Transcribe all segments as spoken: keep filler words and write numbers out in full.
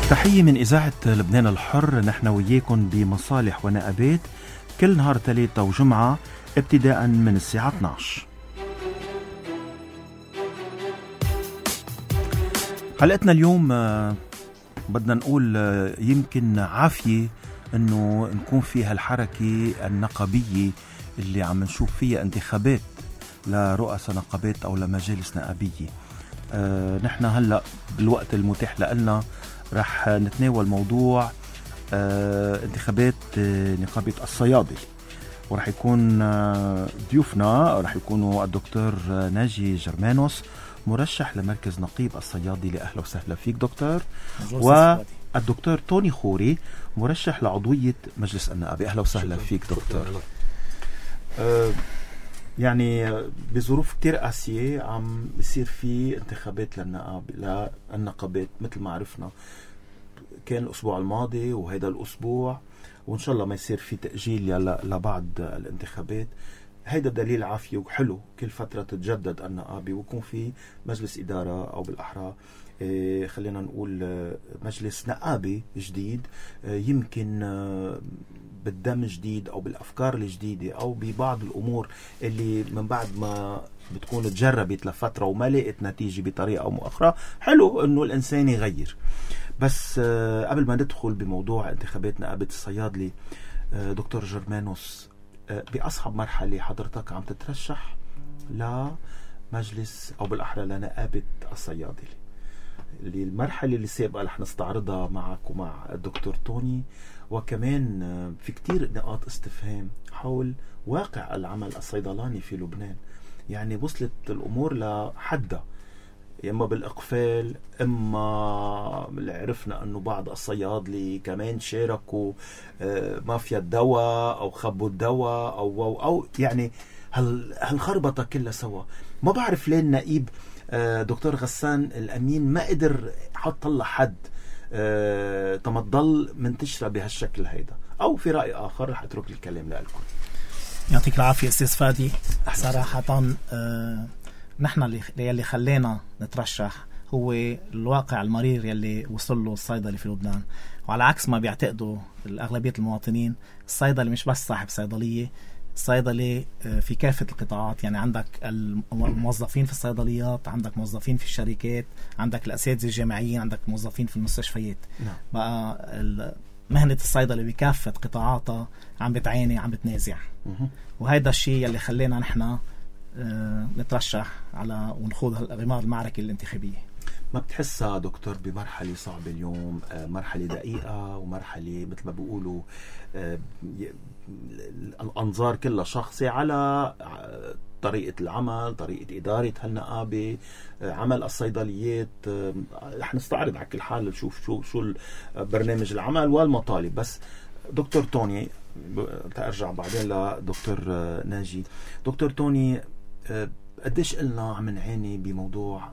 تحية من إذاعة لبنان الحر. نحن وياكم بمصالح ونقابات كل نهار ثلاثة وجمعة ابتداء من الساعة اثني عشر. حلقتنا اليوم بدنا نقول يمكن عافية انه نكون فيها الحركة النقابية اللي عم نشوف فيها انتخابات لرؤساء نقابات او لمجالس نقابية. أه نحن هلأ بالوقت المتاح لنا رح نتناول موضوع أه انتخابات أه نقابة الصيادلة، ورح يكون أه ضيوفنا رح يكونوا الدكتور ناجي جرمانوس مرشح لمركز نقيب الصيادلة. أهلا وسهلا فيك دكتور. والدكتور توني خوري مرشح لعضوية مجلس النقابة. أهلا وسهلا فيك دكتور. أه يعني بظروف كتير قاسية عم بيصير في انتخابات للنقاب للنقابات مثل ما عرفنا، كان الأسبوع الماضي وهيدا الأسبوع، وإن شاء الله ما يصير في تأجيل لبعض الانتخابات. هيدا دليل عافية وحلو، كل فترة تتجدد النقابة ويكون في مجلس إدارة أو بالأحرى إيه خلينا نقول مجلس نقابة جديد، إيه يمكن إيه بالدم جديد أو بالأفكار الجديدة أو ببعض الأمور اللي من بعد ما بتكون تجربت لفترة وما لقت نتيجة بطريقة أو أخرى. حلو أنه الإنسان يغير. بس إيه قبل ما ندخل بموضوع انتخابات نقابة الصيادلة، إيه دكتور جرمانوس، بأصعب مرحلة حضرتك عم تترشح لمجلس أو بالأحرى لنقابة الصيادلة، اللي المرحلة اللي سابقة رح نستعرضها معك ومع الدكتور توني، وكمان في كتير نقاط استفهام حول واقع العمل الصيدلاني في لبنان. يعني وصلت الأمور لحدها، إما بالإقفال، إما عرفنا أنه بعض الصيادلة كمان شاركوا مافيا الدواء أو خبوا الدواء أو, أو, أو يعني هالخربطة كلها سوا. ما بعرف ليه النقيب دكتور غسان الأمين ما قدر حط الله حد تما تضل منتشرة بهالشكل هيدا، أو في رأي آخر رح أترك الكلام لكم. يعطيك العافية أستاذ فادي. صراحة آه نحن اللي يلي خلينا نترشح هو الواقع المرير يلي وصل له الصيدلي في لبنان، وعلى عكس ما بيعتقدوا الأغلبية المواطنين، الصيدلي مش بس صاحب صيدلية، الصيدلي في كافة القطاعات. يعني عندك الموظفين في الصيدليات، عندك موظفين في الشركات، عندك الأساتذة الجامعيين، عندك موظفين في المستشفيات. نعم. بقى مهنة الصيدلة بكافة قطاعاتها عم بتعاني، عم بتنازع. وهذا الشيء يلي خلينا نحن نترشح على ونخوض غمار المعركة الانتخابية. ما بتحسها دكتور بمرحلة صعبة اليوم، مرحلة دقيقة ومرحلة مثل ما بيقولوا الأنظار كلها شخصية على طريقة العمل، طريقة إدارة هالنقابة، عمل الصيدليات. رح نستعرض على كل حال نشوف شو شو برنامج العمل والمطالب. بس دكتور توني، تأرجع بعدين لدكتور ناجي. دكتور توني، قديش قلنا عم نعاني بموضوع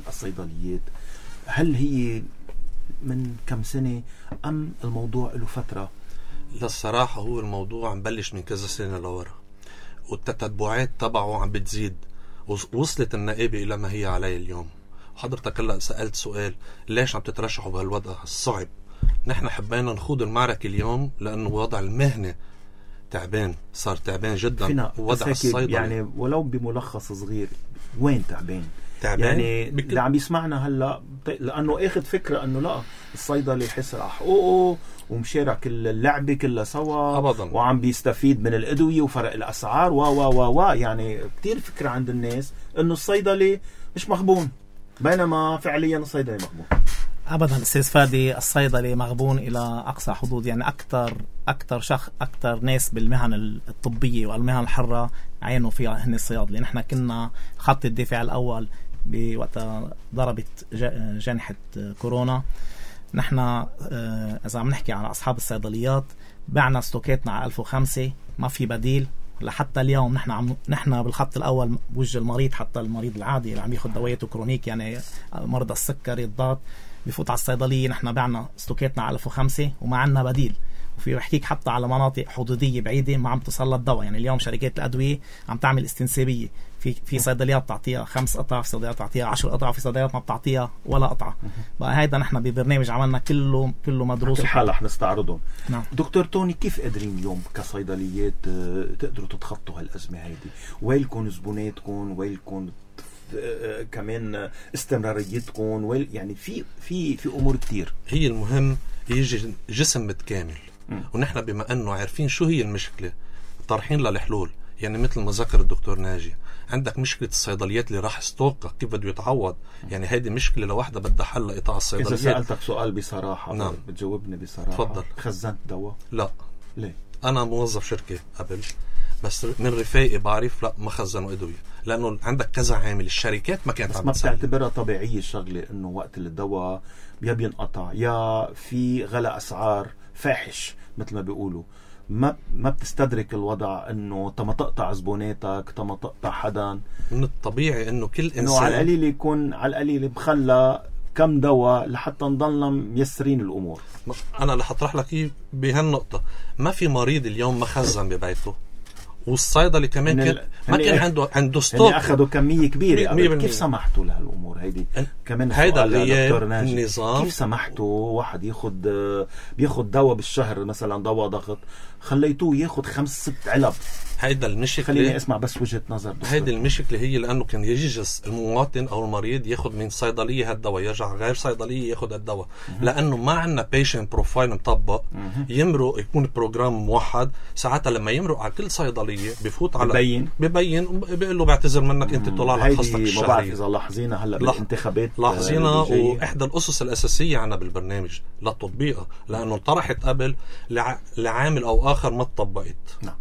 الصيدليات؟ هل هي من كم سنة أم الموضوع له فترة؟ للصراحة هو الموضوع عم بلش من كذا سنة لورا، والتتبعات تبعه عم بتزيد، وصلت النقابة إلى ما هي عليه اليوم. حضرتك هلا سألت سؤال ليش عم تترشحوا بهالوضع الصعب؟ نحن حبينا نخوض المعركة اليوم لأنه وضع المهنة تعبان، صار تعبان جدا. وضع الصيدلة يعني ولو بملخص صغير، وين تعبان؟ تعبان يعني بك... اللي عم يسمعنا هلا لأنه اخذ فكرة أنه لا الصيدلي يحس على حقوقه ومشارك اللعبة كلها سوا أبداً، وعم بيستفيد من الأدوية وفرق الأسعار و و و و يعني كتير فكرة عند الناس أنه الصيدلي مش مغبون، بينما فعليا الصيدلي مغبون. أبدا أستاذ فادي، الصيدلي مغبون إلى أقصى حدود. يعني أكتر أكتر شخص أكتر ناس بالمهن الطبية والمهن الحرة عينوا فيها هن الصيادلة. نحن كنا خط الدفاع الأول بوقت ضربت جنحة كورونا. نحن إذا عم نحكي على أصحاب الصيدليات، بعنا ستوكاتنا على ألف وخمسة، ما في بديل لحتى اليوم. نحن عم نحن بالخط الأول بوجه المريض، حتى المريض العادي اللي عم ياخذ دوايته كرونيك، يعني مرضى السكري الضغط بفوت على الصيدلية. نحن بعنا ستوكاتنا على ألف وخمسة وما عنا بديل. وفي بحكيك حتى على مناطق حدوديه بعيده ما عم تصل الدواء. يعني اليوم شركات الادويه عم تعمل استنسابيه، في في صيدليات بتعطيها خمس قطع، في صيدليات بتعطيها عشر قطع، وفي صيدليات ما بتعطيها ولا قطعه. بقى هيدا نحن ببرنامج عملنا كله كله مدروس الحالة رح نستعرضهم. نعم. دكتور توني، كيف قادرين اليوم كصيدليات تقدروا تتخطوا هالأزمة هيدي؟ ويلكم زبوناتكم، ويلكم كمان استمراريتكم، ويل يعني في في في امور كتير. هي المهم يجي جسم متكامل، م. ونحن بما انه عارفين شو هي المشكله طارحين للحلول. يعني مثل ما ذكر الدكتور ناجي، عندك مشكله الصيدليات اللي راح ستوقع كيف بده يتعوض. يعني هيدي مشكله لوحدها بدها حل لقطاع الصيدليات. اذا سالتك سؤال بصراحه، نعم. بتجاوبني بصراحه؟ تفضل. خزنت دواء؟ لا. ليه؟ انا موظف شركه قبل، بس من رفاقي بعرف لا ما خزنوا ادويه، لانه عندك كذا عامل. الشركات ما كانت عم تسلي. ما بتعتبرها طبيعيه الشغله انه وقت الدواء يا بينقطع يا في غلاء اسعار فاحش مثل ما بيقولوا، ما ما بتستدرك الوضع انه تما تقطع زبوناتك، تما تقطع حدا؟ من الطبيعي انه كل انسان انه على القليل يكون على القليل مخلى كم دواء لحتى نضلنا ميسرين الامور. انا اللي حطرح لك اياه بهالنقطه، ما في مريض اليوم ما خزن ببيته، والصيدلي كمان كان ما كان عنده عنده ستوك. يعني اخذوا كميه كبيره قبل. كيف سمحتوا لهالامور هيدي؟ كمان هيدا النظام. كيف سمحتوا واحد ياخذ بياخذ دواء بالشهر مثلا دواء ضغط، خليتوه ياخذ خمس ست علب؟ هيدا المشكله. خليني اسمع بس وجهه نظر. هيدا المشكله هي لانه كان يجلس المواطن او المريض ياخذ من صيدليه هالدواء، يرجع غير صيدليه ياخذ الدواء، لانه ما عندنا بيشنت بروفايل مطبق يمرق يكون بروجرام موحد. ساعتها لما يمرق على كل صيدليه بفوت على ببين ببين بيقول له بعتذر منك انت طلع لك خصتك الشهريه. ما بعرف اذا لاحظينها هلا بالانتخابات، لاحظينها. واحدى الاسس الاساسيه عنا بالبرنامج للتطبيقها، لانه طرحت قبل لع... لعامل او اخر ما تطبقت. نعم.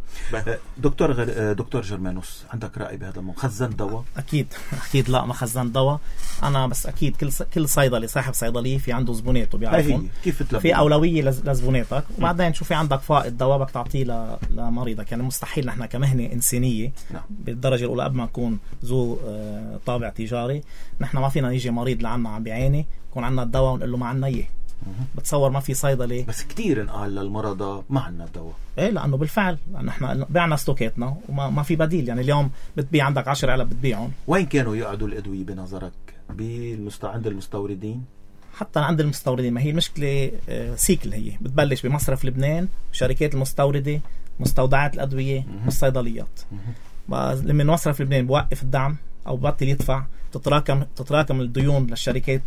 دكتور غير دكتور جرمانوس، عندك رأي بهذا الموضوع؟ خزن دواء؟ اكيد اكيد لا ما خزن دواء انا، بس اكيد كل كل صيدلي صاحب صيدليه في عنده زبوناته بيعرفون كيف تلبون. في اولويه لزبوناتك، وبعدين شو في عندك فائض دواء بدك تعطيه لمريضك. يعني مستحيل نحن كمهنه انسانيه نعم. بالدرجه الاولى قبل ما نكون ذو طابع تجاري، نحن ما فينا يجي مريض لعنا عم بيعاني يكون عندنا الدواء ونقول له ما عندنا اياه. بتصور ما في صيدلي. بس كتير انقال للمرضى ما عندنا دواء. ايه لانه بالفعل نحن بعنا ستوكاتنا وما ما في بديل. يعني اليوم بتبيع عندك عشر علب بتبيعهم. وين كانوا يقعدوا الادويه بنظرك؟ بالمست... عند المستوردين؟ حتى عند المستوردين. ما هي المشكله سيكل، هي بتبلش بمصرف لبنان، شركات المستورده، مستودعات الادويه، والصيدليات. لما مصرف لبنان بوقف الدعم او ببطل يدفع، تتراكم تتراكم الديون للشركات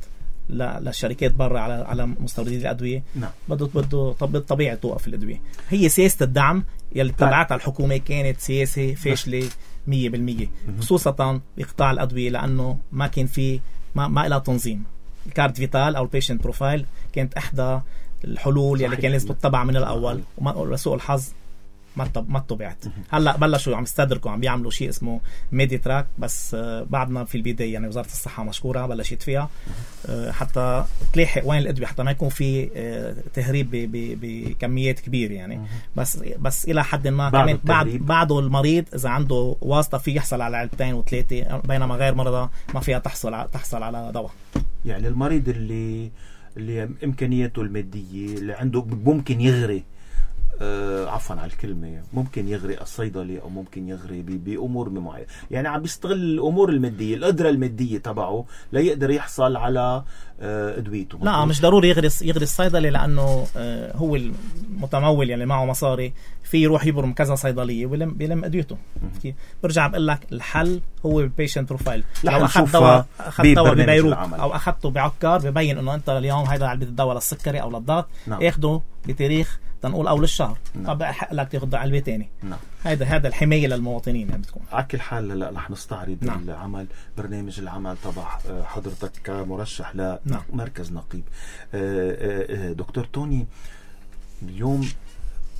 للشركات برا على على مستوردين الادويه. نعم. بده بده طب طبيعي توقف الادويه. هي سياسه الدعم يلي اتبعتها الحكومه كانت سياسه فاشله مية بالمية، خصوصا بقطاع الادويه، لانه ما كان في ما ما لها تنظيم. الكارت فيتال او البيشنت بروفايل كانت احدى الحلول يلي كان لازم تتبع من الاول، ولسوء الحظ ما ما طبعت. هلا بلشوا عم يستدركوا، عم بيعملوا شيء اسمه ميدي تراك، بس بعدنا في البدايه. يعني وزاره الصحه مشكوره بلشت فيها حتى تلاحق وين الادويه، حتى ما يكون في تهريب بكميات كبيره. يعني بس بس الى حد ما كمان بعد بعده المريض اذا عنده واسطه في يحصل على علبتين وثلاثه، بينما غير مرضى ما فيها تحصل على تحصل على دواء. يعني المريض اللي اللي امكانياته الماديه اللي عنده ممكن يغري آه عفوا على الكلمة، ممكن يغري الصيدلي أو ممكن يغري بأمور معينة. يعني عم بيستغل الأمور المادية، القدرة المادية تبعه ليقدر يحصل على آه أدويته. لا مش ضروري يغري يغري الصيدلي، لأنه آه هو المتمول يعني معه مصاري في يروح يبرم كذا صيدلية ويلم بيلم أدويته. برجع بقول لك الحل هو البيشنت بروفايل. لو أخذت دواء أخذت دواء ببيروت أو أخذته بعكار، ببين إنه أنت اليوم هيدا علبة الدواء للسكري أو للضغط، نعم. ياخده بتاريخ تنقول أول الشهر، طب حق لك تاخذ علبة تاني. نعم. هذا هذا الحماية للمواطنين يعني بتكون. على كل حال لا رح نستعرض نعم. العمل برنامج العمل تبع حضرتك كمرشح لمركز نعم. نقيب. دكتور توني، اليوم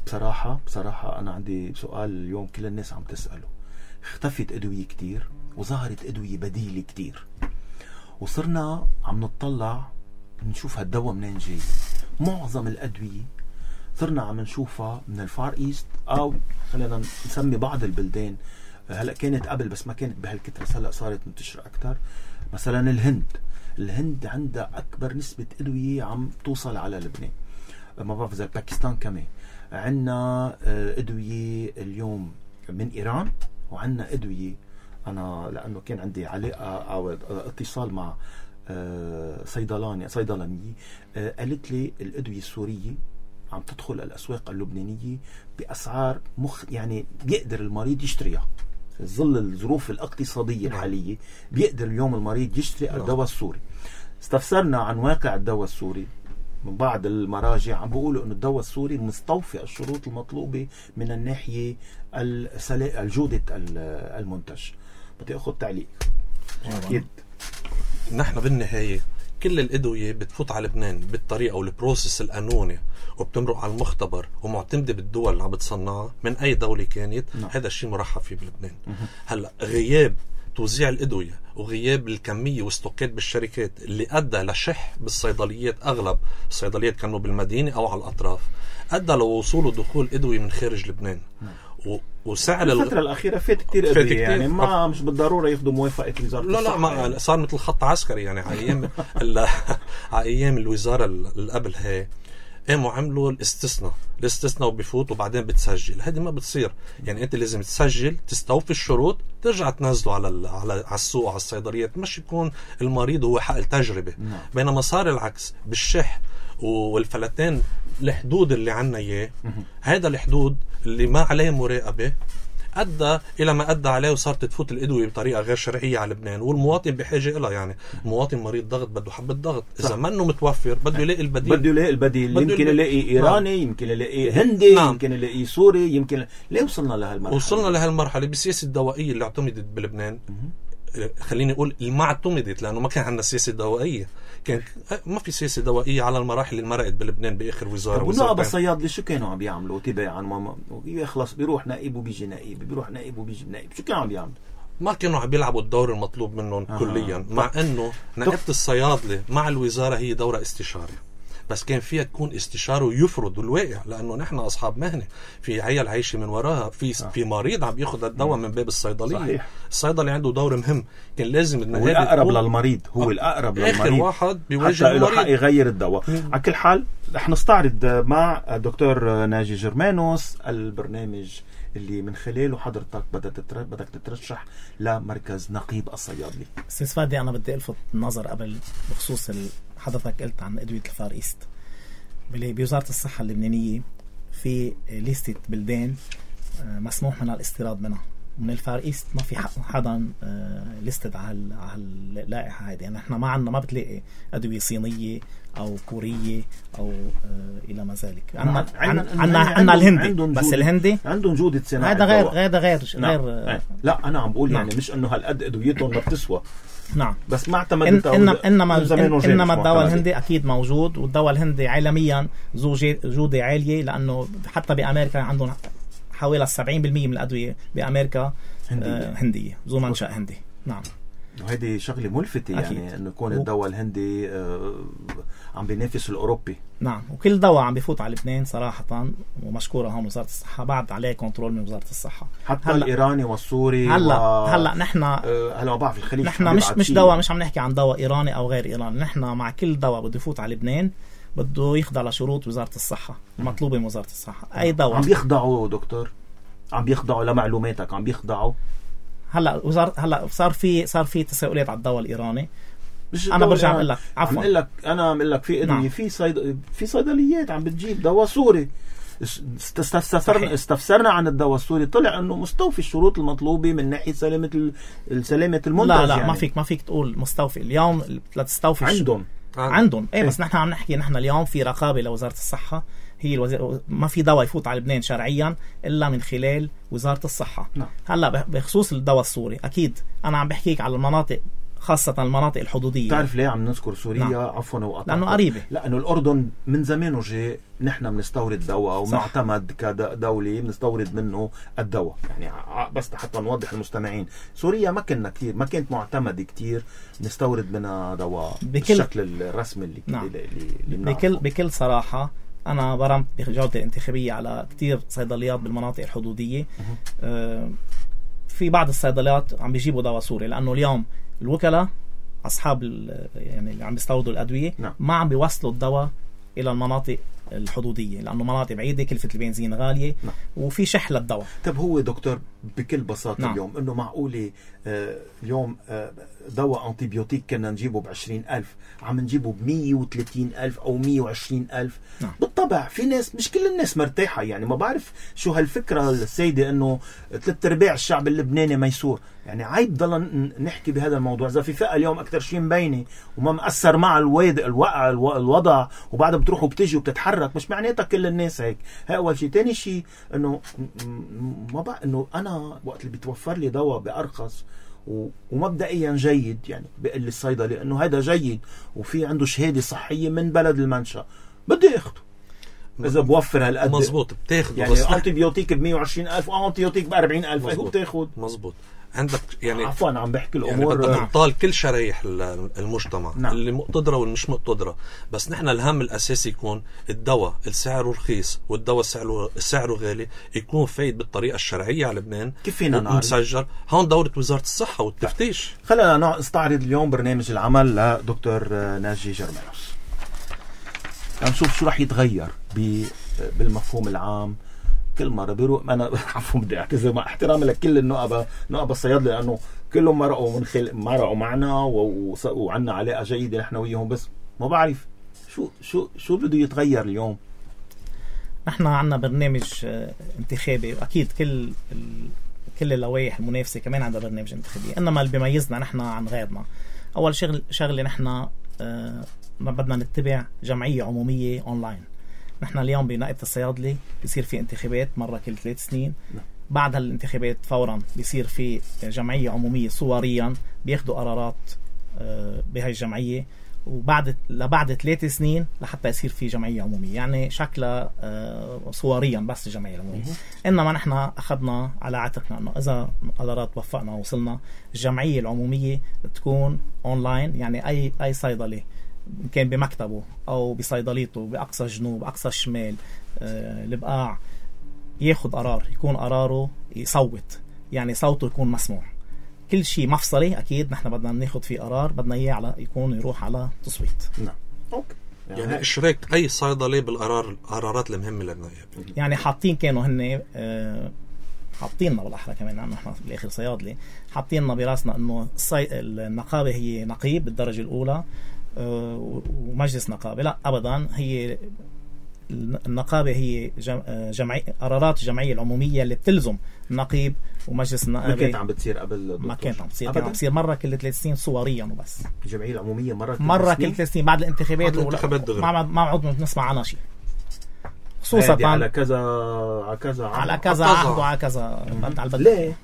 بصراحة بصراحة أنا عندي سؤال اليوم كل الناس عم تسأله. اختفت أدوية كتير وظهرت أدوية بديلة كتير، وصرنا عم نطلع نشوف هالدواء منين جاي. معظم الأدوية صرنا عم نشوفها من الفار إيست، أو خلينا نسمي بعض البلدان. هلأ كانت قبل بس ما كانت بهالكترة، هلأ صارت منتشرة أكتر. مثلا الهند الهند عندها أكبر نسبة أدوية عم توصل على لبنان. ما بعرف إذا باكستان كمان. عندنا أدوية اليوم من إيران، وعندنا أدوية أنا لأنه كان عندي علاقة أو اتصال مع صيدلاني صيدلانية قالت لي الأدوية السورية عم تدخل الأسواق اللبنانية بأسعار مخ يعني بيقدر المريض يشتريها في ظل الظروف الاقتصادية الحالية. بيقدر اليوم المريض يشتري الدواء السوري. استفسرنا عن واقع الدواء السوري من بعض المراجع، عم بيقولوا انه الدواء السوري مستوفي الشروط المطلوبة من الناحية الجودة المنتج. بدي اخذ تعليق. اكيد نحن بالنهاية كل الأدوية بتفوت على لبنان بالطريقة والبروسيس القانوني وبتمرق على المختبر ومعتمدة بالدول اللي عم بتصنعها من أي دولة كانت. نعم. هذا الشيء مرحب فيه بلبنان. هلأ غياب توزيع الأدوية وغياب الكمية واستوكات بالشركات اللي أدى لشح بالصيدليات، أغلب الصيدليات كانوا بالمدينة أو على الأطراف، أدى لوصول ودخول أدوية من خارج لبنان. و... وسعر الفترة الأخيرة فات كتير أدوية يعني ما مش بالضرورة ياخدوا موافقة وزارة لا الصحة. لا ما يعني. صار مثل خط عسكري يعني على أيام على أيام الوزارة اللي قبل هاي قاموا عملوا الاستثناء الاستثناء وبيفوت وبعدين بتسجل. هذه ما بتصير يعني. أنت لازم تسجل تستوفي الشروط ترجع تنزله على على على السوق على الصيدليات، مش يكون المريض هو حق التجربة. نعم. بينما صار العكس بالشح والفلتان. الحدود اللي عنا إياه هذا الحدود اللي ما عليه مراقبة أدى إلى ما أدى عليه، وصارت تفوت الأدوية بطريقة غير شرعية على لبنان، والمواطن بحاجة إلها. يعني المواطن مريض ضغط بده حبة ضغط، إذا ما إنه متوفر بده يلاقي البديل. بده يلاقي البديل. يمكن يلاقي إيراني. نعم. يمكن يلاقي هندي. نعم. يمكن يلاقي سوري. يمكن ليه وصلنا لهالمرحلة؟ وصلنا لهالمرحلة بالسياسة الدوائية اللي اعتمدت بلبنان. خليني أقول ما اعتمدت، لأنه ما كان عندنا سياسة دوائية. كان ما في سياسة دوائية على المراحل اللي مرقت بلبنان بآخر وزارة. والنقابة الصيادلة شو كانوا عم بيعملوا تباعا؟ ما يخلص بيروح نائب وبيجي نائب، بيروح نائب وبيجي نائب. شو كانوا عم بيعملوا؟ ما كانوا عم بيلعبوا الدور المطلوب منهم. آه. كليا. مع أنه نائبة الصيادلة مع الوزارة هي دورة استشاري، بس كان فيها تكون استشاره ويفرض الواقع، لأنه نحن أصحاب مهنة، في عيال عايشة من وراها، في آه. في مريض عم بياخد الدواء من باب الصيدلية. صحيح. الصيدلي عنده دور مهم، كان لازم هو الأقرب للمريض. هو الأقرب للمريض، آخر واحد بيواجه حتى له حق يغير الدواء. على كل حال رح نستعرض مع الدكتور ناجي جرمانوس البرنامج اللي من خلاله حضرتك بدك بدك تترشح لمركز نقيب الصيادلي. استاذ فادي، انا بدي الفت النظر قبل بخصوص حضرتك قلت عن ادويه الفار ايست. بوزاره الصحه اللبنانيه في ليستة بلدان مسموح منها الاستيراد منها. من الفار ايست ما في حدا ليستد على على اللائحه هذه. يعني احنا ما عندنا، ما بتلاقي ادويه صينيه او كوريه او الى ما ذلك. عندنا عندنا عندنا الهندي، بس الهندي عندهم جوده صناعه. هذا غير هذا غير غير لا انا عم بقول يعني مش انه هالقد ادويتهم ما بتسوى. نعم، بس ما اعتمد إن انما انما انما الدواء الهندي اكيد موجود، والدواء الهندي عالميا ذو جوده عاليه، لانه حتى بامريكا عندهم حوالي سبعين بالمية من الادويه بامريكا هنديه, آه هندية ذو منشأ هندي. نعم، وهذه شغله ملفته يعني انه يكون الدواء الهندي آه عم بينافس الاوروبي. نعم، وكل دواء عم بيفوت على لبنان صراحه، ومشكوره هون وزاره الصحه، بعد عليه كنترول من وزاره الصحه. حتى الايراني والسوري هلا و... هلا نحن آه هلا بعرف الخليج نحن مش مش دواء، مش عم نحكي عن دواء ايراني او غير ايراني. نحن مع كل دواء بده يفوت على لبنان بده يخضع لشروط وزاره الصحه المطلوبه من وزاره الصحه. اي دواء عم بيخضعوا دكتور، عم بيخضعوا لمعلوماتك، عم بيخضعوا. هلا وزاره هلا صار في صار في تساؤلات على الدواء الايراني. انا برجع بقول لك عفوا عم اقول لك انا عم اقول لك في ادويه. نعم. في صيد... في صيدليات عم بتجيب دواء سوري. استفسرنا استفسرنا عن الدواء السوري، طلع انه مستوفي الشروط المطلوبه من ناحيه سلامه ال... سلامه المنتج. لا لا يعني. ما فيك ما فيك تقول مستوفي اليوم لتستوفي عندهم الش... عندهم ايه, بس نحن عم نحكي نحن اليوم في رقابه لوزاره الصحه. هي الوزير... ما في دواء يفوت على لبنان شرعيا الا من خلال وزاره الصحه. نعم. هلا بخصوص الدواء السوري، اكيد انا عم بحكيك على المناطق، خاصة المناطق الحدودية. تعرف ليه عم نذكر سوريا؟ نعم. عفوا وقطعت، لأنه قريبة. لأنه الأردن من زمان وجه نحن بنستورد دواء ومعتمد كدولة بنستورد منه الدواء. يعني بس حتى نوضح المستمعين، سوريا ما كنا كتير، ما كانت معتمد كتير نستورد منها دواء بكل... بالشكل الرسمي اللي, نعم. اللي, اللي بكل بكل صراحة أنا برمت بجولتي الانتخابية على كتير صيدليات بالمناطق الحدودية. آه في بعض الصيدليات عم بيجيبوا دواء سوري، لأنه اليوم الوكلاء أصحاب يعني اللي عم بيستوردوا الأدوية. نعم. ما عم بيوصلوا الدواء إلى المناطق الحدودية، لأنه مناطق بعيدة كلفة البنزين غالية. نعم. وفي شح للدواء. طب هو دكتور بكل بساطة نعم. اليوم إنه معقولة آه اليوم آه دواء أنتيبيوتيك كنا نجيبه بعشرين ألف عم نجيبه بمية وثلاثين ألف أو مية وعشرين ألف. نعم. بالطبع في ناس، مش كل الناس مرتاحة، يعني ما بعرف شو هالفكرة السيدة إنه ثلاث أرباع الشعب اللبناني ميسور. يعني عيب ضل نحكي بهذا الموضوع. إذا في فئة اليوم أكتر شيء مبينة وما مأثر مع الوضع الوقع الوضع وبعدها بتروح وبتجي وبتتحرك، مش معناتها كل الناس هيك. هاي أول شيء. تاني شيء إنه ما بقى إنه أنا وقت اللي بيتوفر لي دواء بأرخص ومبدئيا جيد، يعني بيقول لي الصيدلي إنه هذا جيد وفي عنده شهادة صحية من بلد المنشأ، بدي أخده. إذا بوفر هالقد مزبوط بتاخده. يعني أنتيبيوتيك ب مية وعشرين ألف وأنتيبيوتيك ب أربعين ألف هو بتاخد. مزبوط. عندك يعني عفوا عم بحكي الامور يعني بدك تطال كل شرايح المجتمع. نعم. اللي مقتدره والمش مقتدره، بس نحن الهم الاساسي يكون الدواء السعره رخيص والدواء سعره سعره غالي يكون فايد بالطريقه الشرعيه على لبنان. كيف فينا نعرف؟ مسجل. هون دورة وزاره الصحه والتفتيش. خلينا نستعرض اليوم برنامج العمل لدكتور ناجي جرمانوس، نشوف شو رح يتغير بالمفهوم العام. كل مرة بيروق أنا عفوا بدي أعتذر مع احترامي لكل النقبة نقبة الصيادلة، لأنه كلهم مرقوا من خل مرقوا معنا وعنا علاقة جيدة نحن وياهم، بس ما بعرف شو شو شو بده يتغير اليوم. نحن عنا برنامج انتخابي، وأكيد كل كل اللوائح المنافسة كمان عندها برنامج انتخابي، إنما اللي بيميزنا نحن عن غيرنا أول شغل شغلة نحن ما بدنا نتبع جمعية عمومية أونلاين. نحن اليوم بنائبة الصيادلة بيصير في انتخابات مرة كل ثلاث سنين. بعد هالانتخابات فورا بيصير في جمعية عمومية صوريا بياخدوا قرارات بهاي الجمعية، وبعد لبعد ثلاث سنين لحتى يصير في جمعية عمومية، يعني شكلها صوريا بس الجمعية العمومية. إنما نحن أخذنا على عاتقنا أنه إذا قرارات وفقنا ووصلنا الجمعية العمومية تكون أونلاين، يعني أي أي صيدلي كان بمكتبه أو بصيدليته بأقصى الجنوب أقصى الشمال آه، البقاع ياخد قرار، يكون قراره يصوت، يعني صوته يكون مسموع. كل شيء مفصلي أكيد نحن بدنا ناخد فيه قرار بدنا إياه على يكون يروح على تصويت. نعم. أوكي. يعني, يعني إشراك أي صيدلي بالقرار القرارات المهمة للنائب. يعني حاطين كانوا هن آه حاطيننا بالأحرى كمان، لأنه نحن بالآخر صيادلة، حاطيننا براسنا إنه النقابة هي نقيب بالدرجة الأولى ومجلس نقابة. لا أبدا، هي النقابة هي جمعية قرارات الجمعية العمومية اللي بتلزم النقيب ومجلس النقابة. ما كانت عم بتصير قبل؟ ما كانت عم بتصير، كانت عم بتصير مرة كل ثلاث سنين صوريا وبس. الجمعية العمومية مرة كل مرة كل ثلاث سنين بعد الانتخابات. ما ما عود نسمع عنها شيء، خصوصا على كذا على كذا على كذا عهد وعلى كذا. ليه؟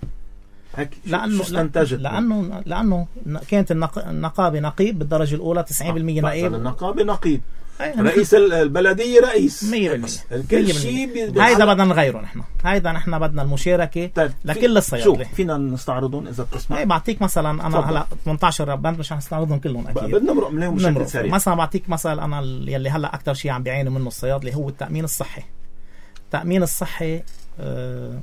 لأنه لأنه لأنه كانت النقابة نقيب بالدرجة الأولى تسعين بالمية نقيب. النقابة نقيب، رئيس البلدية رئيس مية بالمية. كل شيء هيدا بدنا نغيره نحن. هيدا نحن بدنا المشاركة طيب لكل الصيادلة. فينا نستعرضهم إذا بتسمع؟ ايه بعطيك مثلا أنا هلا ثمانية عشر ربان مش هنستعرضهم كلهم أكيد. بدنا نمرق منهم بشكل سريع. مثلا بعطيك مثلا أنا يلي هلا أكتر شيء عم بيعاني منه الصيادلة هو التأمين الصحي. التأمين الصحي آه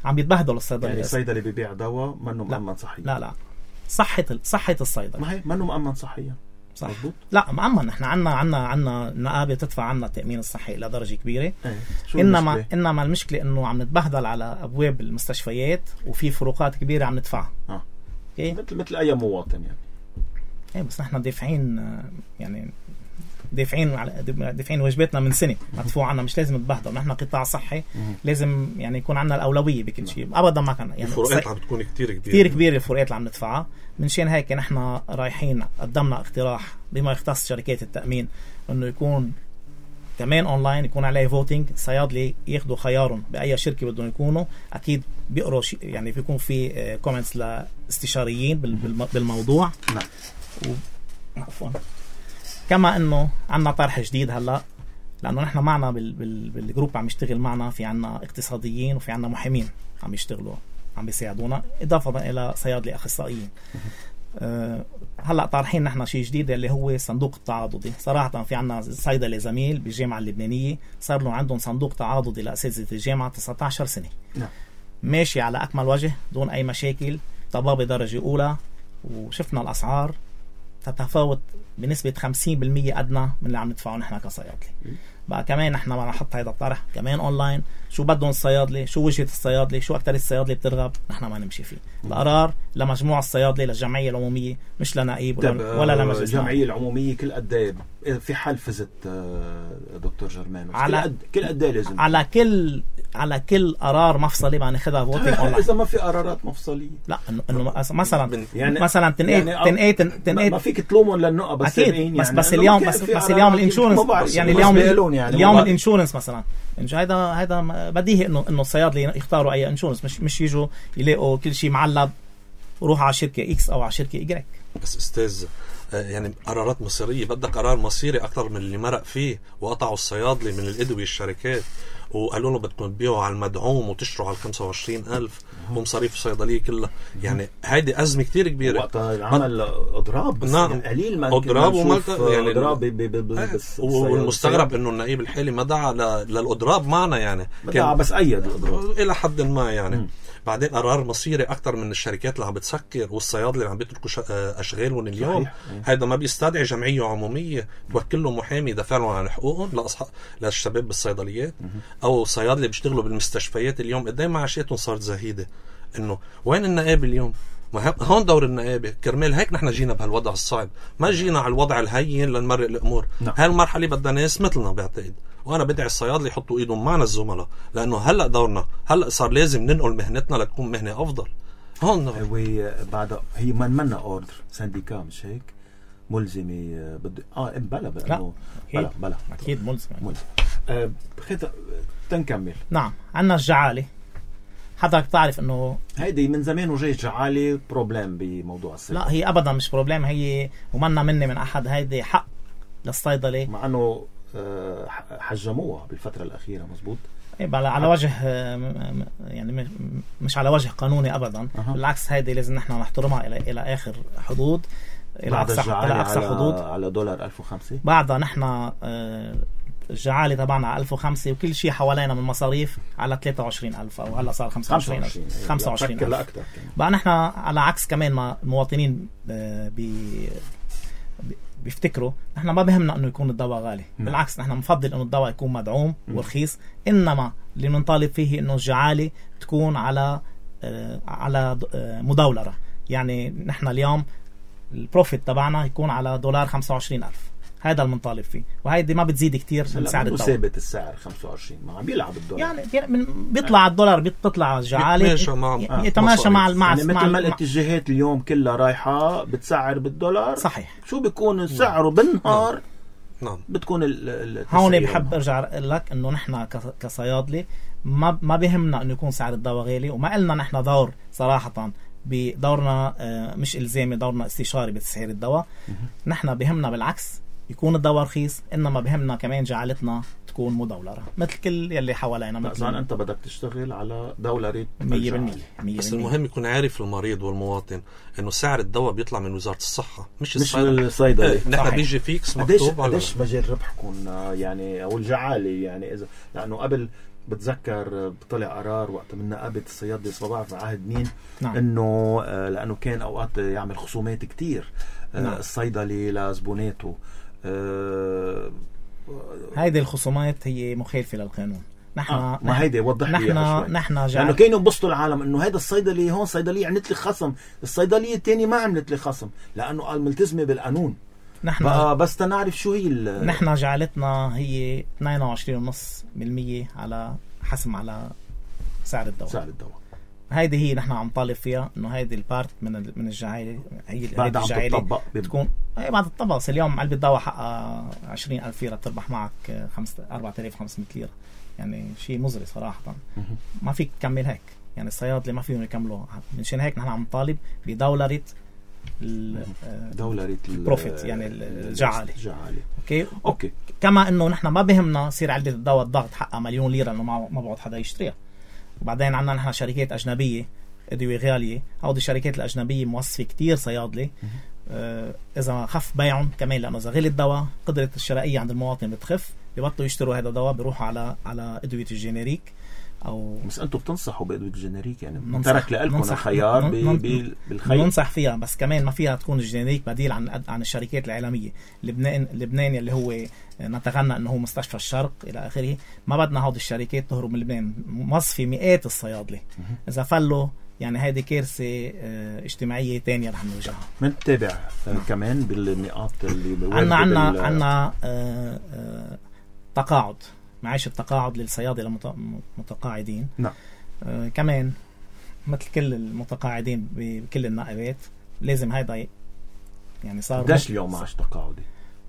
عم بيتبهدلوا الصيدلة. يعني الصيدلي بيبيع دواء منه مؤمن صحيا. لا لا صحة صحة الصيدلة ما هي منه مؤمن صحيا. صح. مزبوط. لا مؤمن. احنا عنا عنا عنا نقابة تدفع عنا التأمين الصحي إلى درجة كبيرة. ايه. إنما المشكلة؟ إنما المشكلة إنه عم نتبهدل على أبواب المستشفيات وفي فروقات كبيرة عم ندفعها. اه. إيه؟ مثل مثل أي مواطن يعني. إيه بس نحن دافعين يعني دافعين على دافعين واجباتنا من سنة مدفوع عنا، مش لازم نتبهدل. نحن قطاع صحي لازم يعني يكون عنا الأولوية بكل شيء. أبدا ما كان يعني الفروقات عم بتكون كتير كبيرة كتير كبيرة الفروقات اللي عم ندفعها. منشان هيك نحن رايحين قدمنا اقتراح بما يختص شركات التأمين إنه يكون كمان أونلاين، يكون عليه فوتينج. صيادلي ياخدوا خيارهم بأي شركة بدهم يكونوا، أكيد بيقروا يعني بيكون في كومنتس لاستشاريين بالموضوع. نعم. عفوا. كما انه عنا طرح جديد هلا، لانه نحن معنا بال بال بالجروب عم يشتغل معنا في عنا اقتصاديين وفي عنا محامين عم يشتغلوا عم بيساعدونا اضافه الى صيادله اخصائيين. أه هلا طارحين نحن شيء جديد اللي هو صندوق التعاضدي. صراحه في عنا صيدلي زميل بالجامعه اللبنانيه صار له عندهم صندوق تعاضدي لاساتذه الجامعه تسعة عشر سنه. نعم. ماشي على اكمل وجه دون اي مشاكل، طبابه درجه اولى، وشفنا الاسعار تتفاوت بنسبة خمسين بالمية أدنى من اللي عم ندفعه نحن كصيادلة. بقى كمان نحن بدنا نحط هيدا الطرح كمان أونلاين، شو بدهم الصيادلة، شو وجهة الصيادلة، شو أكتر الصيادلة بترغب، نحن ما نمشي فيه. القرار لمجموعة الصيادلة، للجمعية العمومية، مش لنائب ولا, ولا لمجلس. الجمعية العمومية كل قد ايه في حال فزت دكتور جرمانوس؟ على كل قد ايه لازم؟ على كل على كل قرار مفصلي بدنا ناخذها فوتينج اونلاين. اذا ما في قرارات مفصليه لا انه انه مثلا يعني مثلا تنقيت يعني تنقيت تنقيت ما فيك تلومهم للنقطه بس يعني بس بس اليوم بس بس اليوم الانشورنس يعني اليوم يعني اليوم الانشورنس مثلا هيدا هيدا بديهي انه انه الصيادله يختاروا اي انشورنس، مش مش يجوا يلاقوا كل شيء معلب وروح على شركه اكس او على شركه ايجريك. بس استاذ يعني قرارات مصيريه، بدك قرار مصيري اكثر من اللي مرق فيه وقطعوا الصيادله من الادويه الشركات وقالوا له بدكم تبيعوا على المدعوم وتشتروا على خمسة وعشرين ألف ومصاريف الصيدليه كلها. يعني هيدي ازمه كتير كبيره. وقتها عمل اضراب بس نعم. يعني قليل ما اضراب ومالت يعني اضراب بس والمستغرب انه النائب الحالي ما دعا للاضراب معنا، يعني كان بس ايد الاضراب الى حد ما يعني م. بعدين قرار مصيري اكثر من الشركات اللي عم بتسكر والصيادله اللي عم بيتركوا اشغالهم اليوم. هذا ما بيستدعي جمعيه عموميه توكل له محامي يدافع لهم عن حقوقهم لاصحاب للشباب بالصيدليات او صيادله بيشتغلوا بالمستشفيات اليوم قد ايه معاشاتهم صارت زهيده. انه وين النقابه اليوم؟ ما هون دور النقابه. كرمال هيك نحن جينا بهالوضع الصعب، ما جينا على الوضع الهين لنمرق الامور. هالمرحله بدها ناس مثلنا بعتقد، وانا بدعي الصيادله يحطوا ايدهم معنا الزملاء، لانه هلا دورنا هلا صار لازم ننقل مهنتنا لتكون مهنه افضل. هون هو بعد هي من منا اوردر سانديكا مش هيك ملزمه بد اه بلا بلا بلا بلا اكيد ملزم ملزم. آه خيط تنكمل. نعم عندنا الجعاله. حضرتك بتعرف انه هيدي من زمان وجاي الجعاله بروبليم بموضوع الصيد. لا هي ابدا مش بروبليم، هي ومنا مني من احد، هيدي حق للصيدله، مع انه حجموها بالفتره الاخيره. مزبوط. ايه على وجه يعني مش على وجه قانوني ابدا. أه. بالعكس هيدي لازم نحن نحترمها الى الى اخر حدود، الى اقصى الى اقصى حدود. على دولار ألف وخمسة بعدها نحن الجعاله تبعنا على ألف وخمسة وكل شيء حوالينا من مصاريف على ثلاثة وعشرين ألف او هلا صار خمسة وعشرين ألف. خمسة وعشرين ألف بقى نحن على عكس كمان ما المواطنين بي بيفتكروا نحن ما بهمنا انه يكون الدواء غالي. م. بالعكس نحن بنفضل انه الدواء يكون مدعوم م. ورخيص، انما اللي بنطالب فيه انه الجعاله تكون على آه على آه مداولره. يعني نحن اليوم البروفيت تبعنا يكون على دولار خمسة وعشرين ألف، هذا اللي بنطالب فيه، وهيدي ما بتزيد كتير من سعر الدواء. ثابت السعر خمسة وعشرين، ما عم بيلعب الدولار يعني بيطلع على الدولار بيطلع الجعاله يتماشى مع مع يعني مثل ما الاتجاهات اليوم كلها رايحه بتسعر بالدولار. صحيح. شو بيكون سعره بالنهار؟ نعم. بتكون ال هون بحب ارجع لك انه نحن كصيادله ما ما بهمنا انه يكون سعر الدواء غالي، وما قلنا نحن دور صراحه بدورنا مش الزامي، دورنا استشاري بتسعير الدواء. نحن بهمنا بالعكس يكون الدواء رخيص، انما بهمنا كمان جعلتنا تكون مدولره مثل كل يلي حوالينا. مثل انت بدك تشتغل على دولاري مية بالمية. بس المهم يكون عارف المريض والمواطن انه سعر الدواء بيطلع من وزاره الصحه مش مش الصيدلي. ايه نحن بيجي فيكس مكتوب على قديش مجال ربحكم يعني او الجعاله. يعني اذا لانه قبل بتذكر طلع قرار وقت من نقابه الصيادله ما بعرف عهد مين. نعم. انه لانه كان اوقات يعمل خصومات كتير. نعم. الصيدلي لزبوناته. أه هيدي الخصومات هي مخالفه للقانون. نحن آه ما هيدي وضح لي نحن نحن جعل... لانه كانوا يبسطوا العالم انه هذا الصيدلي هون صيدليه عملت لي خصم، الصيدليه الثانيه ما عملت لي خصم لانه قال ملتزمه بالقانون. نحن بس تنعرف شو هي ال... نحن جعلتنا هي اثنين وعشرين فاصلة خمسة بالمية على حسم على سعر الدواء. سعر الدواء هيدي هي نحن عم طالب فيها انه هيدي البارت من من الجعاله هي بعد عم تطبق تكون اي بعد الطبق. اليوم علبه دواء حقها عشرين ألف ليره تربح معك أربعة آلاف وخمسمية ليره، يعني شيء مزري صراحه. ما فيك تكمل هيك، يعني الصيادله ما فيهم يكملوا. منشان هيك نحن عم نطالب بدولره دولره البروفيت يعني الجعاله. الجعاله اوكي اوكي. كما انه نحن ما بهمنا يصير علبه الدواء الضغط حقها مليون ليره انه ما بقعد حدا يشتريها. وبعدين عندنا نحن شركات أجنبية أدوية غالية، هودي الشركات الأجنبية موظفة كتير صيادلة. آه إذا خف بيعهم كمان، لأنه إذا غلي الدواء قدرة الشرائية عند المواطن بتخف، بيبطلوا يشتروا هذا الدواء بيروحوا على على أدوية الجينيريك. او بس انتم بتنصحوا بادويه الجينيريك يعني ننصح- ترك لكم ننصح- الخيار ب- نن- ب- بالخير. ننصح فيها، بس كمان ما فيها تكون الجينيريك بديل عن عن الشركات العالمية. لبنان لبنان اللي هو نتغنى انه هو مستشفى الشرق الى اخره، ما بدنا هذه الشركات تهرب من لبنان. مصفي مئات الصيادله، اذا فلوا يعني هذه كارثه اه اجتماعيه تانية رح نواجهها. بنتابع آه كمان بالنقاط اللي عنا عنا بال... عنا اه اه تقاعد، معاش التقاعد للصيادله المتقاعدين. نعم. اه كمان مثل كل المتقاعدين بكل النائبات لازم هيدا يعني صار. قديش اليوم معاش تقاعدي؟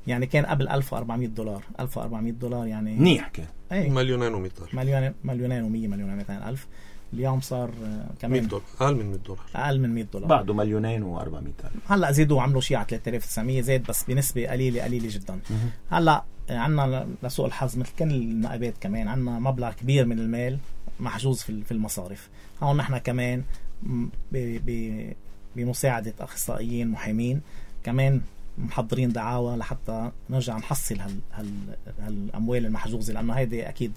يعني كان قبل ألف وأربعمية دولار. ألف وأربعمية دولار يعني منيح كان. ايه مليونين ومئتين مليون مليونين ومية مليون ومئتين ألف. اليوم صار آه، كمان مئة دولار، اقل من مئة دولار، اقل من مئة دولار. بعده مليونين وأربعمية ألف. هلا زيدوا عملوا شيء على ثلاثة آلاف وتسعمية، زاد بس بنسبه قليله قليله جدا. هلا عندنا لسوء الحظ مثل كل النائبات كمان عندنا مبلغ كبير من المال محجوز في المصارف. هون نحن كمان بمساعده اخصائيين محامين كمان محضرين دعاوى لحتى نرجع نحصل هال هال هالاموال المحجوزه، لانه هيدي اكيد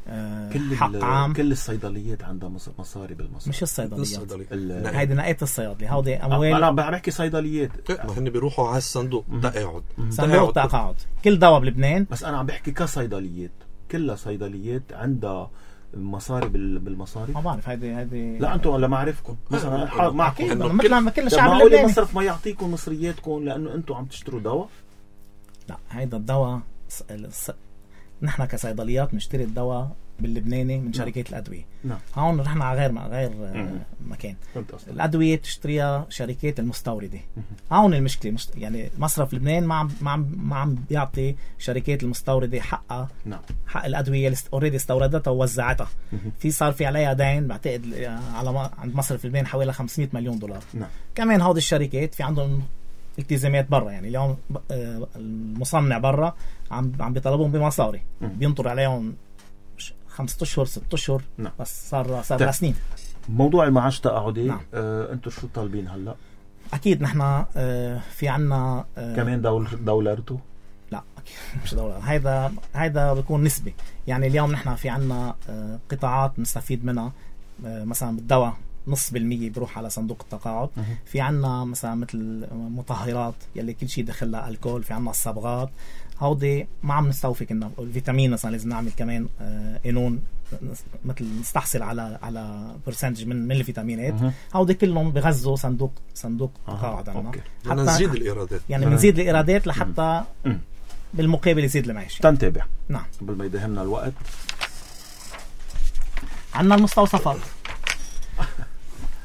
آه كل حق عام. كل الصيدليات عندها مصاري بالمصاري، مش الصيدليات، ال... هيدي نقاط الصيادله. هودي اموال انا بحكي صيدليات. ما هن بيروحوا على الصندوق تقاعد، صندوق تقاعد كل دواء بلبنان. بس انا عم بحكي كصيدليات، كلها صيدليات عندها مصاري بالمصاري. ما بعرف هيدي هيدي لا انتم ولا ما عرفكم مثلا معكم مثل ما كل الشعب اللبناني اللبناني مصرف ما يعطيكم مصرياتكم لانه انتم عم تشتروا دواء. لا هيدا الدواء ص... نحن كصيدليات بنشتري الدواء باللبناني من شركات الادويه. نعم. هون نحن على غير غير مكان. الادويه تشتريها شركات المستورده. هون المشكله مش... يعني مصرف لبنان ما عم ما عم ما عم بيعطي شركات المستورده حقها. نعم. حق الادويه اللي اوريدي استوردتها ووزعتها. في صار في عليها دين بعتقد على ما... عند مصرف لبنان حوالي خمسمية مليون دولار. نعم. كمان هذه الشركات في عندهم التزامات برا، يعني اليوم المصنع برا عم عم بيطلبون بمصاري، بينطر عليهم خمسة اشهر ست اشهر. نعم. بس صار صار سنين. موضوع المعاش التقاعدي. نعم. آه، انتم شو طالبين هلا؟ اكيد نحن آه في عنا آه كمان دول دولارته؟ لا أكيد مش دولار، هيدا هيدا بيكون نسبي. يعني اليوم نحن في عنا آه قطاعات نستفيد منها، آه مثلا بالدواء نص بالمية بروح على صندوق التقاعد. مه. في عنا مثلا مثل مطهرات يلي كل شيء دخلها الكول، في عنا الصبغات هودي ما عم نستوفي كنا. الفيتامين مثلا لازم نعمل كمان آه قانون مثل نستحصل على على برسنتج من من الفيتامينات. هودي كلهم بغزوا صندوق صندوق التقاعد عندنا. حتى نزيد الايرادات، يعني بنزيد الايرادات لحتى مم. بالمقابل يزيد المعيشه. تنتابع. نعم. قبل ما يدهمنا الوقت عندنا المستوصفات.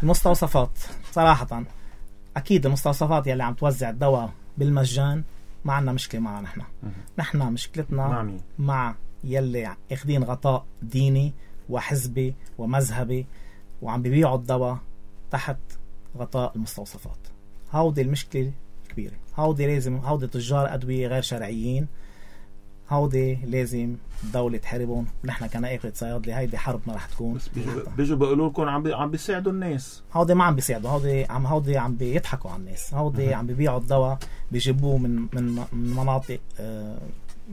المستوصفات صراحة أكيد المستوصفات يلي عم توزع الدواء بالمجان ما عنا مشكلة معها. نحن نحن مشكلتنا مع مين؟ مع يلي اخدين غطاء ديني وحزبي ومذهبي وعم بيبيعوا الدواء تحت غطاء المستوصفات. هودي المشكلة كبيرة. هودي لازم هودي تجار أدوية غير شرعيين، هودي لازم الدولة تحاربهم. نحن كنائبة صيادلة هيدي حربنا رح تكون. بس بيجوا بيجوا بيقولوا لكم عم بي... عم بيساعدوا الناس. هودي ما عم بيساعدوا، هودي عم هودي عم بيضحكوا على الناس. هودي عم بيبيعوا الدواء بيجيبوه من من من مناطق آه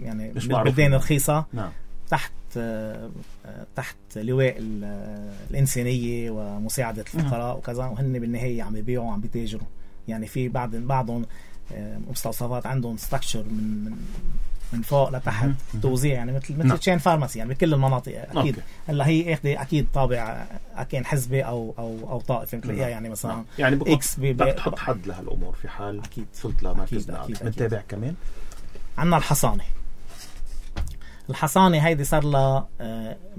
يعني بلدان رخيصة. نعم. تحت آه تحت لواء الإنسانية ومساعدة الفقراء وكذا، وهن بالنهاية عم بيبيعوا عم بيتاجروا. يعني في بعض بعضهم آه مستوصفات عندهم ستراكشر من من من فوق لتحت توزيع، يعني مثل مثل تشين فارماسي يعني بكل المناطق. اكيد هلا هي اخذ اكيد طابع كان حزبي او او او طائفي بتلاقيها يعني مثلا يعني اكس بدك تحط حد لهالامور في حال اكيد وصلت لمركز النقد. بنتابع كمان. عندنا الحصانه. الحصانه هيدي صار لها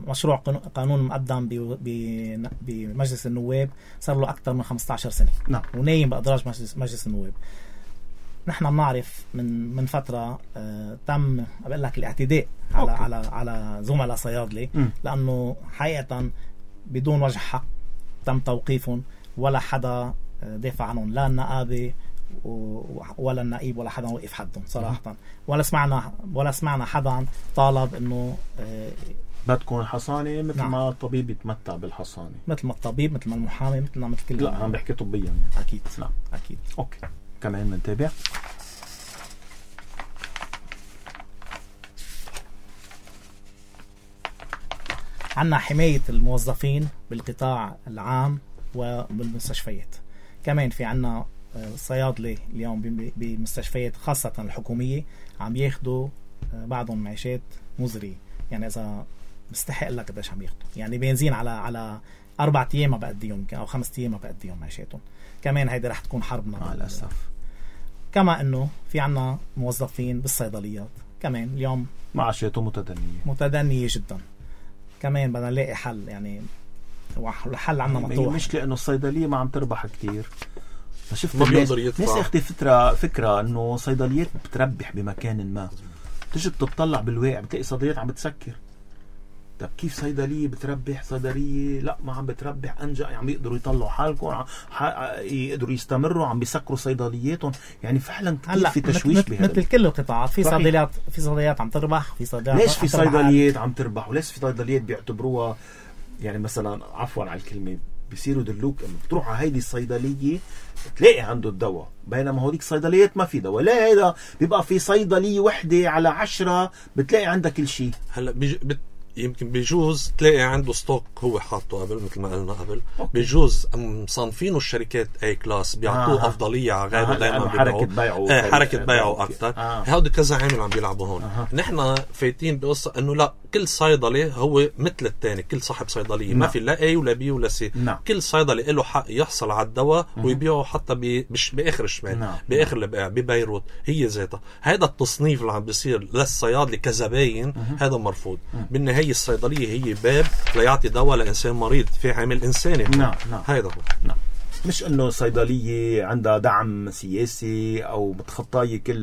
مشروع قانون مقدم بمجلس النواب، صار له اكثر من خمسة عشر سنه. نعم. ونايم بادراج مجلس مجلس النواب. نحن بنعرف من من فتره آه تم بقول لك الاعتداء على أوكي. على على زملاء صيادله، لانه حقيقه بدون وجه حق تم توقيفهم، ولا حدا دافع عنهم، لا النقابه ولا النقيب ولا حدا وقف حدهم صراحه. م. ولا سمعنا ولا سمعنا حدا طالب انه آه بدكم حصانه مثل نعم. ما الطبيب يتمتع بالحصانه، مثل ما الطبيب مثل ما المحامي مثل ما مثل كل. لا عم بحكي طبيا يعني. اكيد. نعم. اكيد. اوكي كمان منتابع. عنا حماية الموظفين بالقطاع العام وبالمستشفيات. كمان في عنا صيادلة اليوم بمستشفيات خاصة الحكومية عم ياخدوا بعضهم معيشات مزرية، يعني إذا بستحق لك قديش عم ياخدوا، يعني بنزين على على أربعة أيام ما بقديهم أو خمسة أيام ما بقديهم معيشاتهم. كمان هيدا رح تكون حربنا مع الأسف. كما إنه في عنا موظفين بالصيدليات كمان اليوم معاشاتهم متدنية متدنية جدا. كمان بدنا نلاقي حل، يعني الحل عنا مطروح. مش لأنه الصيدلية ما عم تربح كتير، شفت ما الناس بيقدر يدفع. ناس اختي فترة فكرة انه صيدليات بتربح بمكان ما، تجي بتطلع بالواقع بتلاقي صيدليات عم بتسكر. طب كيف صيدلية بتربح؟ صيدلية لا ما عم بتربح، انجا عم يقدروا يطلعوا حالكم، يقدروا يستمروا عم بيسكروا صيدلياتهم. يعني فعلا كتير في تشويش بهذا مثل كل القطاعات. في صيدليات في صيدليات عم تربح، في صيدليات ليش في صيدليات عم تربح وليش في صيدليات بيعتبروها يعني مثلا عفوا على الكلمة بيصيروا دلوك انه بتروح على هيدي الصيدلية تلاقي عنده الدواء، بينما هوديك صيدليات ما في دواء. لا هيدا بيبقى في صيدلية وحدة على عشرة بتلاقي عندها كل شيء. هلا بيج... بت... يمكن بيجوز تلاقي عنده ستوك هو حاطه قبل مثل ما قلنا قبل. أوكي. بيجوز مصنفينه الشركات اي كلاس بيعطوه آه. افضليه على غيره. آه. دائما حركه بيعه آه. حركه بيعه اكثر. آه. هودي كذا عامل عم بيلعبوا هون. آه. نحن فايتين بقصه انه لا كل صيدلي هو مثل الثاني، كل صاحب صيدليه ما في لا اي ولا بي ولا سي. نعم. كل صيدلي له حق يحصل على الدواء ويبيعه حتى ب... بش... باخر الشمال. نعم. باخر البقاع ببيروت هي ذاتها. هذا التصنيف اللي عم بيصير للصيادله كزباين هذا مرفوض. بالنهايه الصيدليه هي باب ليعطي دواء لإنسان مريض في عامل إنساني. نعم نعم هيدا هو. نعم. مش إنه صيدلية عندها دعم سياسي أو متخطاية كل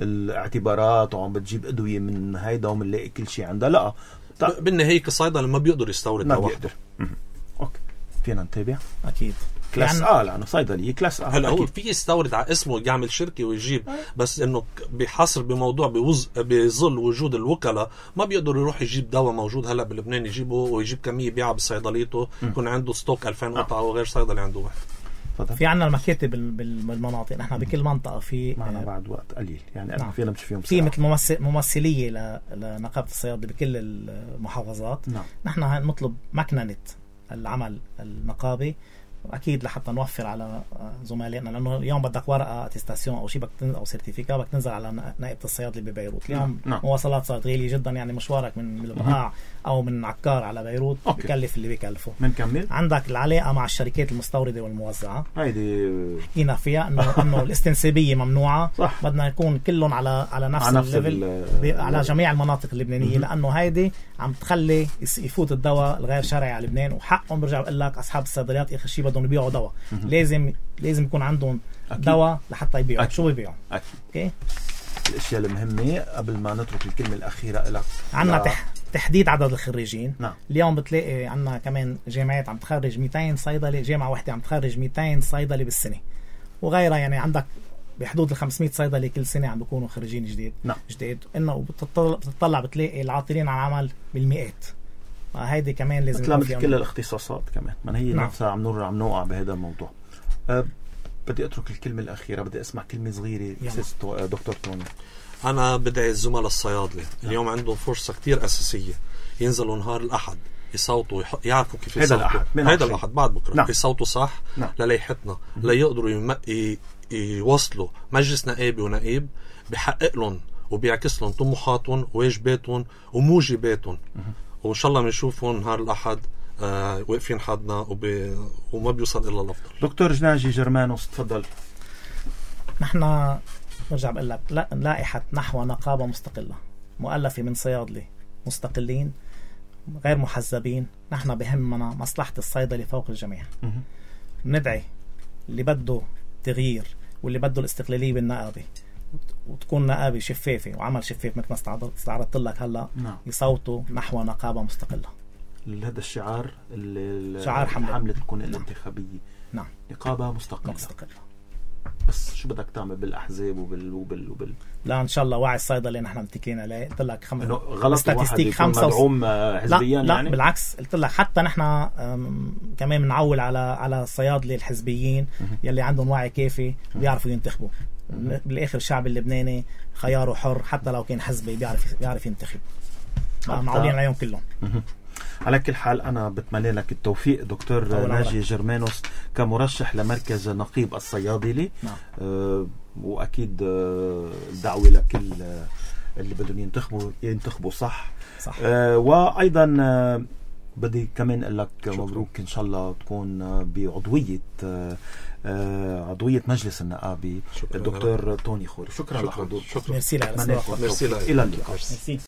الاعتبارات وعم بتجيب أدوية من هيدا ومنلاقي كل شيء عندها. لا ب... بالنهاية كصيدلة ما بيقدر يستورد ما دواء. بيقدر. أوكي فينا نتابع. أكيد كلاس آه لأنه صيدلية كلاس آه. هلا هو في يستورد على اسمه يعمل شركة ويجيب أه. بس إنه بحصر بموضوع بوز... بظل وجود الوكلاء ما بيقدر يروح يجيب دواء موجود هلا بلبنان يجيبه ويجيب كمية يبيعها بصيدليته يكون عنده ستوك ألفين قطعة أه. وغير صيدلي عنده واحد. فضل. في عنا المكاتب بالمناطق. نحن بكل منطقة في معنا بعد وقت قليل يعني نعم. فينا مش فيهم في مثل ممثل ممثلية لنقابة الصيادلة بكل المحافظات. نعم. نحن نطلب مكننة العمل النقابي اكيد لحتى نوفر على زملائنا، لانه اليوم بدك ورقه اتستاسيون او شيء بدك او سيرتيفيكا بدك تنزل على نائبه الصيادله ببيروت. اليوم نعم. مواصلات صارت غاليه جدا، يعني مشوارك من البقاع او من عكار على بيروت أوكي. بكلف اللي بيكلفه. بنكمل. عندك العلاقه مع الشركات المستورده والموزعه هيدي حكينا فيها انه انه الاستنسابيه ممنوعه. صح. بدنا يكون كلهم على على نفس, على نفس الليفل على جميع المناطق اللبنانيه، لانه هيدي عم تخلي يفوت الدواء الغير شرعي على لبنان، وحقهم برجع بقول لك اصحاب الصيدليات اخر شيء بدهم يبيعوا دواء. لازم لازم يكون عندهم دواء لحتى يبيعوا. شو بيبيعوا؟ اوكي. الاشياء المهمه قبل ما نترك الكلمه الاخيره لك عندنا لا. تح... تحديد عدد الخريجين. نعم. اليوم بتلاقي عندنا كمان جامعات عم تخرج مئتين صيدلي، جامعه واحده عم تخرج مئتين صيدلي بالسنه وغيرها، يعني عندك بحدود ال خمسمئة صيدلي كل سنه عم بيكونوا خريجين جديد. نعم. جديد انه بتطلع, بتطلع بتلاقي العاطلين عن العمل بالمئات. هيدي كمان لازم مثل مثل كل الاختصاصات كمان ما هي نعم. نفسها عم نور عم نوقع بهذا الموضوع. أه بدي اترك الكلمه الاخيره، بدي اسمع كلمه صغيره دكتور توني. انا بدعي الزملاء الصيادله اليوم عندهم فرصه كتير اساسيه ينزلوا نهار الاحد يصوتوا يح... يعرفوا كيف يصوتوا. هذا الأحد هذا الأحد بعد بكره نعم. يصوتوا صح نعم. لليحتنا ليقدروا يم... ي... يوصلوا مجلس نائبي ونائب بحقق لهم وبيعكس لهم طموحاتهم وواجباتهم وموجباتهم، وان شاء الله بنشوفهم نهار الاحد آه واقفين حدنا وب... وما بيوصل الا الافضل. دكتور جناجي جرمانوس تفضل. نحن برجع بقول لك لا... لائحه نحو نقابه مستقله مؤلفه من صيادله مستقلين غير محزبين. نحن بهمنا مصلحة الصيدلي فوق الجميع. ندعي اللي بده تغيير واللي بده الاستقلالية بالنقابة وتكون نقابة شفافة وعمل شفاف مثل ما استعرضت لك هلا نعم. يصوتوا نحو نقابة مستقلة. هذا الشعار شعار حملة, حملة تكون الانتخابية. نعم. نقابة مستقلة. مستقلة. بس شو بدك تعمل بالاحزاب وبال وبال وبال لا ان شاء الله وعي الصيدلي نحن متكلين عليه. قلت لك خمس غلط واحد يكون مدعوم حزبيا. لا, يعني لا بالعكس قلت لك حتى نحن كمان بنعول على على الصيادله الحزبيين يلي عندهم وعي كافي بيعرفوا ينتخبوا. بالاخر الشعب اللبناني خياره حر حتى لو كان حزبي بيعرف بيعرف ينتخب. معولين عليهم كلهم. على كل حال أنا بتمنى لك التوفيق دكتور ناجي جرمانوس كمرشح لمركز نقيب الصيادلة. نعم. أه وأكيد الدعوة لكل اللي بدهم ينتخبوا ينتخبوا صح, صح. أه وأيضا أه بدي كمان أقول لك مبروك إن شاء الله تكون بعضوية أه عضوية مجلس النقابة الدكتور توني خوري. شكرا, شكرا لحضورك. شكرا. ميرسي لك. إلى اللقاء.